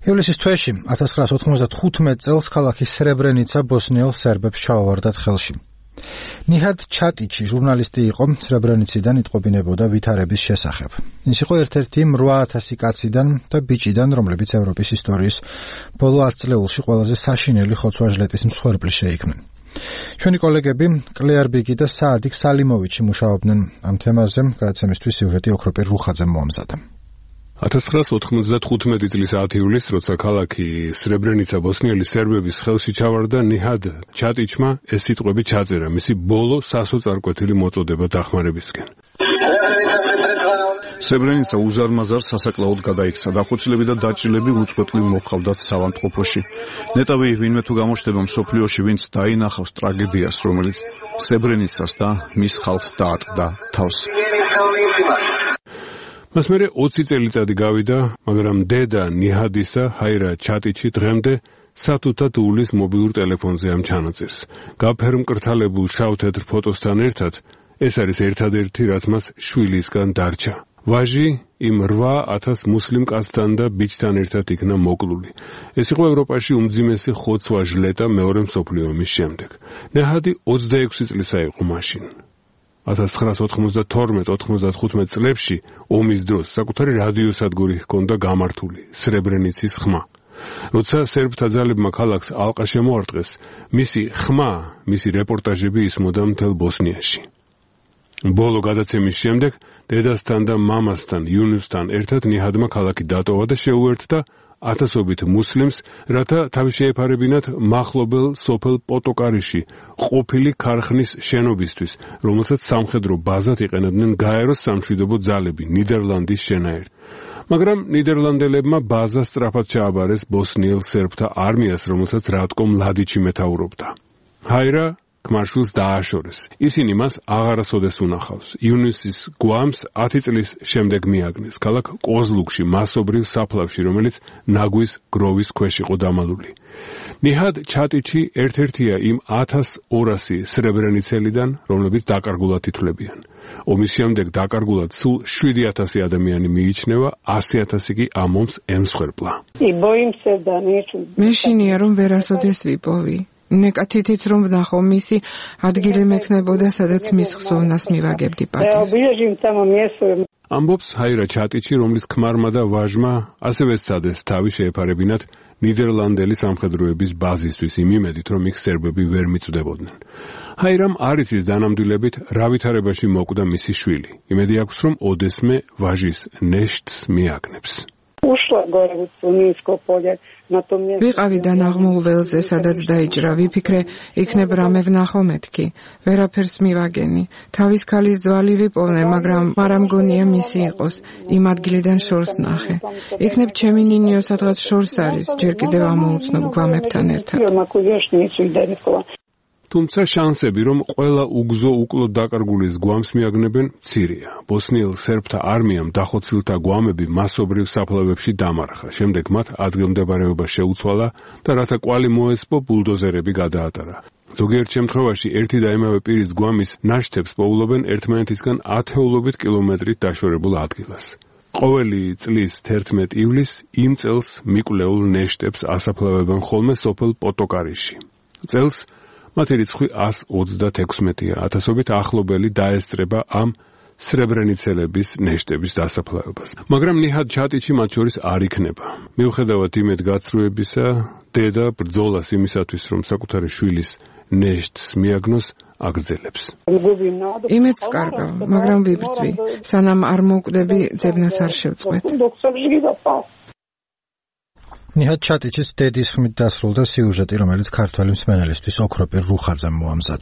ივლისის თვეში 1995 წელს ქალაქი სრებრენიცა ბოსნიელ სერბებს ჩაუვარდათ ხელში. ნიჰად ჩატიჩი ჟურნალისტი იყო, სრებრენიციდან იტყობინებოდა ვითარების შესახებ. ის იყო ერთ-ერთი 8000 კაციდან და ბიჭიდან, რომლებიც ევროპის ისტორიის ბოლო 10 წლეულში ყველაზე საშინელი ხოცვა-ჟლეტის მსხვერპლი შეიქმნენ. ჩვენი კოლეგები კლეარ ბიგი და საადიქ სალიმოვიჩი მუშაობდნენ ამ თემაზე, გადაცემისთვის სიუჟეტი ოქროპირ რუხაძემ მოამზადა. 1995 წლის 10 ივლისს, როცა ქალაქი სრებრენიცა ბოსნიელი სერბების ხელში ჩავარდა, ნიჰად ჩატიჩმა ეს სიტყვები ჩაწერა მისი ბოლო სასოწარკვეთილი მოწოდება დახმარებისკენ. სრებრენიცა უზარმაზარ სასაკლაოდ გადაიქცა. დახოცილები და დაჭრილები უწყვეტლივ მოჰყავდათ სავანტყოფოში. ნეტავი ვინმე თუ გამოჩნდება მსოფლიოში, ვინც დაინახავს ტრაგედიას, რომელიც სრებრენიცას და მის ხალხს დაატყდა თავს. მას მერე 20 წელიწადი გავიდა, მაგრამ დედა ნიჰადისა, ჰაირა ჩატიჩი დღემდე სათუთად უვლის მობილურ ტელეფონზე ამ ჩანაწერს. გაფერმკრთალებულ შავ-თეთრ ფოტოსთან ერთად ეს არის ერთადერთი, რაც მას შვილისგან დარჩა. ვაჟი იმ 8000 მუსლიმ კაცთან და ბიჭთან ერთად იქნა მოკლული. ეს იყო ევროპაში უმძიმესი ხოცვა-ჟლეტა მეორე მსოფლიო ომის შემდეგ. ნიჰადი 26 წლისა იყო მაშინ. 1992-95 წლებში ომის დროს საკუთარი რადიოსადგური ჰქონდა გამართული, სრებრენიცის ხმა. როცა სერბთა ძალებმა ქალაქს ალყა შემოარტყეს, მისი ხმა, მისი რეპორტაჟები ისმოდა მთელ ბოსნიაში. ბოლო გადაცემის შემდეგ დედასთან და მამასთან, იუნუსთან ერთად ნიჰადმა ქალაქი დატოვა და შეუერთდა ათასობით მუსლიმს, რათა თავი შეეფარებინათ მახლობელ სოფელ პოტოკარიში ყოფილი ქარხნის შენობისთვის, რომელსაც სამხედრო ბაზად იყენებდნენ გაეროს სამშვიდობო ძალები ნიდერლანდის შენაერთ. მაგრამ ნიდერლანდელებმა ბაზა სწრაფად ჩააბარეს ბოსნიელ სერბთა არმიას, რომელსაც რატკო მლადიჩი მეთაურობდა. ჰაირა ქმარშვილს დააშორეს. ისინი მას აღარასოდეს უნახავს. იუნუსის გვამს 10 წლის შემდეგ მიაგნეს ქალაქ ყოზლუგში, მასობრივ საფლავში, რომელიც ნაგვის გროვის ქვეშ იყო დამალული. ნიჰად ჩატიჩი ერთ-ერთია იმ 1200 სრებრენიცელიდან, რომლებიც დაკარგულად ითვლებიან. ომის შემდეგ დაკარგულად სულ 7000 ადამიანი მიიჩნევა, 100,000 კი ამ ომს ემსხვერპლა. მე შინია რომ ვერასოდეს ვიპოვი. ნეკათითიც რომ ვნახო მისი ადგილი მექნებოდა, სადაც მის ხსოვნას მივაგებდი პატივს. ამბობს ჰაირა ჩატიჩი, რომლის ქმარმა და ვაჟმა ასევე სცადეს თავი შეეფარებინათ ნიდერლანდელი სამხედროების ბაზისთვის იმ იმედით, რომ იქ სერბები ვერ მიწვდებოდნენ. ჰაირამ არ იცის დანამდვილებით რა ვითარებაში მოკვდა მისი შვილი. იმედი აქვს, რომ ოდესმე ვაჟის ნეშტს მიაგნებს. ვიყავი დანაღმულ ველზე, სადაც დაიჭრა, ვიფიქრე, იქნებ რამე ვნახო მეთქი. ვერაფერს მივაგენი. თავის ქალის ძვალი ვიპოვნე, მაგრამ არა მგონია მისი იყოს. იმ ადგილიდან შორს ნახე. იქნებ ჩემი ნინიო სადღაც შორს არის, ჯერ კიდევ ამოუცნობ გვამებთან ერთად. თუმცა შანსები, რომ ყველა უგზო უკლოდ დაკარგულის გვამს მიაგნებენ, მცირეა. ბოსნიელ სერბთა არმიამ დახოცილთა გვამები მასობრივ საფლავებში დამარხა. შემდეგ მათ ადგილმდებარეობა შეუცვალა და რათა კვალი მოესპო, ბულდოზერები გადაატარა. ზოგიერთ შემთხვევაში ერთი და იმავე პირის გვამის ნაშთებს პოულობენ ერთმანეთისგან ათეულობით კილომეტრით დაშორებულ ადგილას. ყოველი წლის 11 ივლისს იმ წელს მიკვლეულ ნეშტებს ასაფლავებენ ხოლმე სოფელ პოტოკარიში. წელს მათი რიცხვი 126-ია. ათასობით ახლობელი დაესწრება ამ სრებრენიცელების ნეშტების დასაფლავებას. მაგრამ ნიჰად ჩატიჩი მათ შორის არ იქნება. მიუხედავად იმედგაცრუებისა, დედა ბრძოლას იმისათვის, რომ საკუთარი შვილის ნეშტს მიაგნოს, აგრძელებს. იმედს კარგავ, მაგრამ ვიბრძვი. სანამ არ მოვკვდები, ძებნას არ შევწყვეტ. ნიჰად ჩატიჩის დედის ხმით დასრულდა სიუჟეტი, რომელიც ქართველი მსმენელისთვის ოქროპირ რუხაძემ მოამზადა.